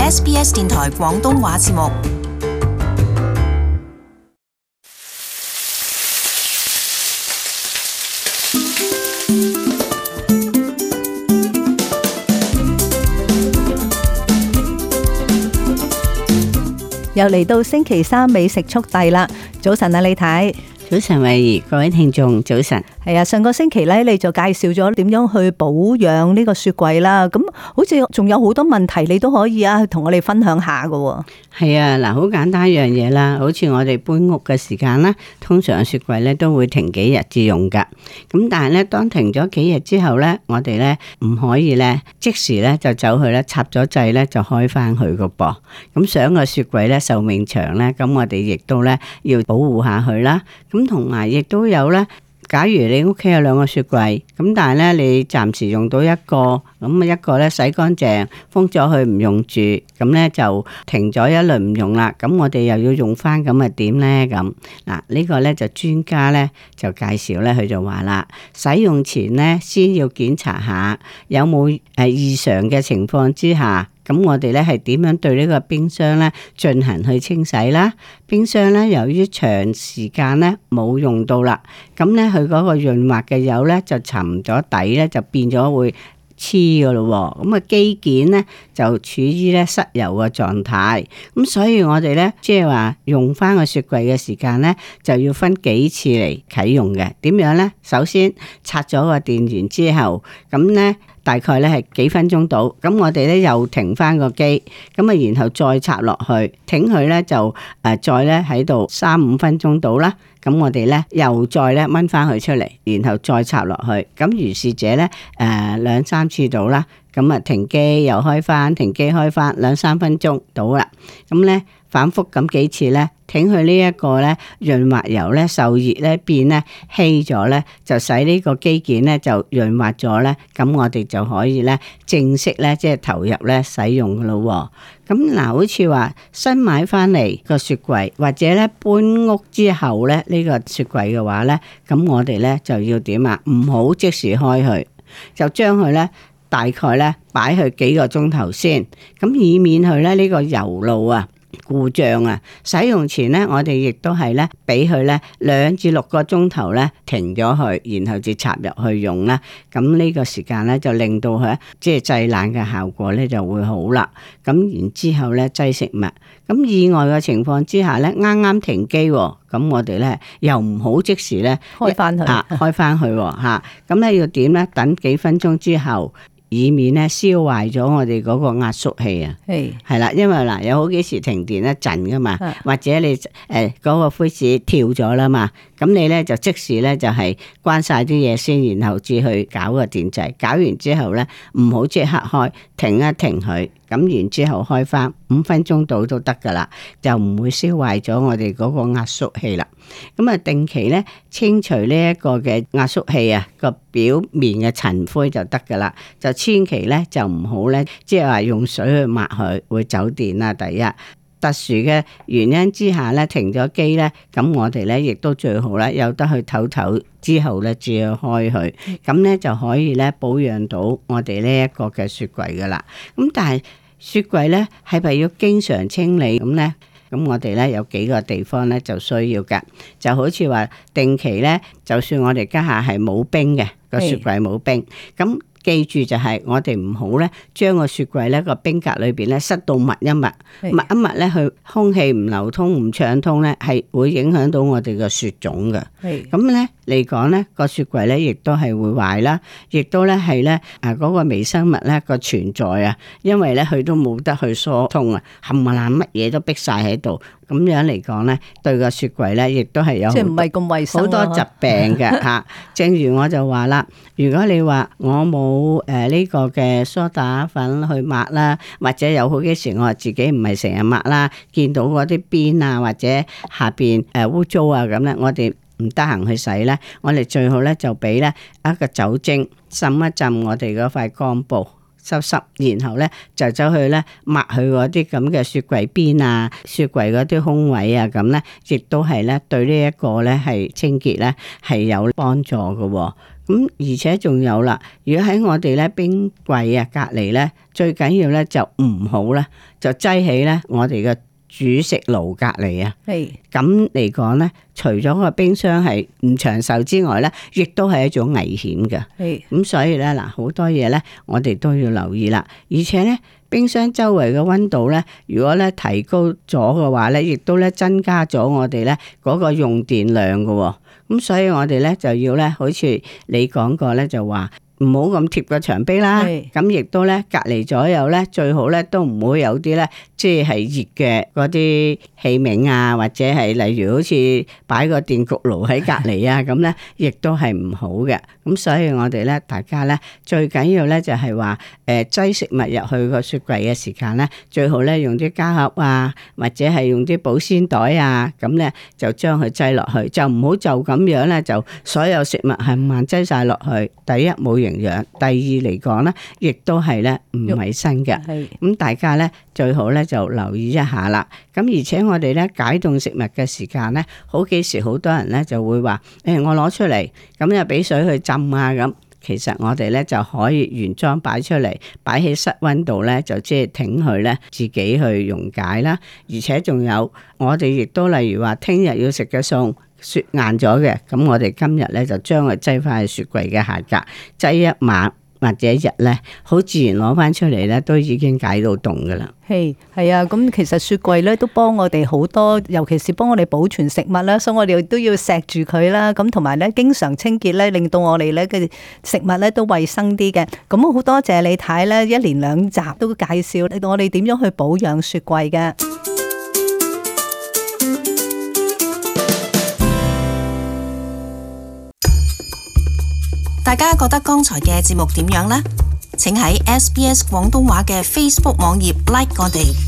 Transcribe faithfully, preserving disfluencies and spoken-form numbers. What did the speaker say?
S B S 電台廣東話節目。又嚟到星期三美食速遞啦！早晨啊，李太。早晨，慧怡，各位聽眾，早晨。係啊，上個星期咧，你就介紹咗點樣去保養呢個雪櫃啦。咁好似仲有好多問題，你都可以啊，同我哋分享下噶。係啊，嗱，好簡單一樣嘢啦。好似我哋搬屋嘅時間啦，通常雪櫃咧都會停幾日至用噶。咁但係咧，當停咗幾日之後咧，我哋咧唔可以咧即時咧就走去咧插咗掣咧就開翻佢個噃。咁想個雪櫃咧壽命長咧，咁我哋亦都咧要保護下佢啦。咁同埋亦都有咧，假如你屋企有兩個雪櫃，咁但係咧你暫時用到一個，咁啊一個咧洗乾淨，封咗佢唔用住，咁咧就停咗一輪唔用啦。咁我哋又要用翻，咁啊點咧？咁嗱呢個咧就專家咧就介紹咧，佢就話啦，使用前咧先要檢查下有冇誒異常嘅情況之下。咁我哋咧係點樣對呢個冰箱咧進行去清洗啦？冰箱咧由於長時間咧冇用到啦，咁咧佢嗰個潤滑嘅油咧就沉咗底咧，就變咗會黐噶咯。咁啊機件咧就處於咧失油嘅狀態。咁所以我哋咧即係話用翻個雪櫃嘅時間咧就要分幾次嚟啟用嘅。點樣咧？首先拆咗個電源之後，咁咧。大概咧係幾分鐘到，咁我哋咧又停翻個機，咁啊然後再插落去，停佢咧就誒再咧喺度三五分鐘到啦，咁我哋咧又再咧掹翻佢出嚟，然後再插落去，咁如是者咧誒兩三次到啦，咁啊停機又開翻，停機開翻兩三分鐘到啦，咁咧反覆咁幾次咧。挺佢呢一個咧潤滑油咧受熱咧變咧稀咗咧，就使呢個機件咧就潤滑咗咧，咁我哋就可以咧正式咧即係投入咧使用噶咯。咁嗱，好似話新買翻嚟個雪櫃，或者咧搬屋之後咧呢個雪櫃嘅話咧，咁我哋咧就要點啊？唔好即時開佢，就將佢咧大概咧擺去幾個鐘頭先，咁以免佢咧呢個油路啊。故障啊！使用前咧，我哋亦都係咧，俾佢咧兩至六個鐘頭咧停咗佢，然後至插入去用啦。咁呢個時間咧就令到佢即係製冷嘅效果咧就會好啦。咁然之後咧擠食物，咁意外嘅情況之下咧，啱啱停機，咁我哋咧又唔好即時咧開翻佢啊，開翻佢吓。咁咧要點咧？等幾分鐘之後。以免咧燒壞咗我哋嗰個壓縮器啊，係係啦，因為嗱有好幾時停電一陣噶嘛，或者你誒嗰個灰士跳咗啦嘛，咁你咧就即時咧就係關晒啲嘢先，然後至去搞個電掣，搞完之後咧唔好即刻開，停一停佢，咁然之後開翻五分鐘到都得噶啦，就唔會燒壞咗我哋嗰個壓縮器啦。咁啊，定期咧清除呢一個嘅壓縮器啊個表面嘅塵灰就得噶啦，就千祈咧就唔好咧，即係話用水去抹佢會走電啦。第一，特殊嘅原因之下咧停咗機咧，咁我哋咧亦都最好咧有得去唞唞之後咧至去開佢，咁咧就可以咧保養到我哋呢一個嘅雪櫃噶啦。咁但係雪櫃咧係咪要經常清理咁咧？咁我哋咧有幾個地方咧就需要噶，就好似話定期咧，就算我哋家下係冇冰嘅個雪櫃冇冰，咁記住就係我哋唔好咧將個雪櫃咧個冰格裏邊咧塞到密一密，密一密咧佢空氣唔流通唔暢通咧，係會影響到我哋嘅雪種嘅。咁咧嚟講咧個雪櫃咧亦都係會壞啦，亦都咧係咧啊嗰個微生物咧個存在啊，因為咧佢都冇得去疏通啊，冚唪唥乜嘢都逼晒喺度。咁樣嚟講咧，對個雪櫃咧，亦都係有即係唔係咁衛生好多疾病嘅嚇。正如我就話啦，如果你話我冇誒呢個嘅梳打粉去抹啦，或者有好幾時我話自己唔係成日抹啦，見到嗰啲邊啊或者下邊誒污糟啊咁咧，我哋唔得閒去洗咧，我哋最好咧就俾咧一個酒精浸一浸我哋嗰塊乾布。濕濕，然後咧就走去咧抹去嗰啲咁嘅雪櫃邊啊、雪櫃嗰啲空位啊，咁咧亦都係咧對呢一個咧係清潔咧係有幫助嘅。咁而且仲有啦，如果喺我哋咧冰櫃啊隔離咧，最緊要咧就唔好咧就擠起咧我哋嘅煮食爐隔離啊。係咁嚟講咧，除咗個冰箱係唔長壽之外咧，亦都係一種危險嘅。係咁所以咧嗱，好多嘢咧，我哋都要留意啦。而且咧，冰箱周圍嘅溫度咧，如果咧提高咗嘅話咧，亦都咧增加咗我哋咧嗰個用電量嘅。咁所以我哋咧就要咧，好似你講過咧，就話唔好咁貼個牆壁啦。咁亦都咧隔離左右咧，最好咧都唔會有啲咧，即係熱嘅嗰啲器皿啊，或者係例如好似擺個電焗爐喺隔離啊，咁咧亦都係唔好嘅。咁所以我哋咧，大家咧最緊要咧就係話，誒擠食物入去個雪櫃嘅時間咧，最好咧用啲膠盒啊，或者係用啲保鮮袋啊，咁咧就將佢擠落去，就唔好就咁樣咧，就所有食物係慢擠晒落去。第一冇營養，第二嚟講咧，亦都係咧唔衛生嘅。咁大家咧最好咧就留意一下啦。咁而且我哋咧解凍食物嘅時間咧，好幾時好多人咧就會話，誒、欸、我攞出嚟，咁又俾水去浸啊咁。其實我哋咧就可以原裝擺出嚟，擺喺室溫度咧，就即係挺佢咧自己去溶解啦。而且仲有我哋亦都例如話，聽日要食嘅餸雪硬咗嘅，咁我哋今日咧就將佢擠翻去雪櫃嘅下格，擠一晚或者一日咧，好自然攞翻出嚟咧，都已經解到凍噶啦。係係啊，咁其實雪櫃咧都幫我哋好多，尤其是幫我哋保存食物啦，所以我哋都要錫住佢啦。咁同埋咧，經常清潔咧，令到我哋咧嘅食物咧都衛生啲嘅。咁好多謝李太咧，一連兩集都介紹令到我哋點樣去保養雪櫃嘅。大家覺得剛才嘅節目點樣呢？請喺 S B S 廣東話嘅 Facebook 網頁 like 我哋。